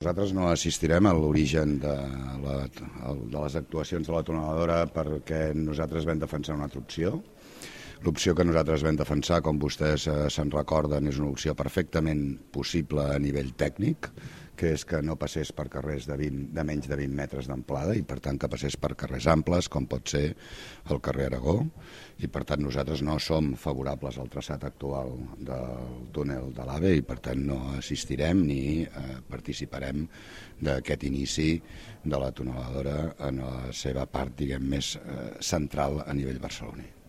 Nosaltres no assistirem a l'origen de les actuacions de la tuneladora perquè nosaltres vam defensar una altra opció. L'opció que nosaltres vam defensar, com vostès se'n recorden, és una opció perfectament possible a nivell tècnic, que és que no passés per carrers de menys de 20 metres d'amplada i per tant que passés per carrers amples, com pot ser el carrer Aragó, i per tant nosaltres no som favorables al traçat actual del túnel de l'AVE i per tant no assistirem ni participarem d'aquest inici de la tuneladora en la seva part, diguem, més central a nivell barceloní.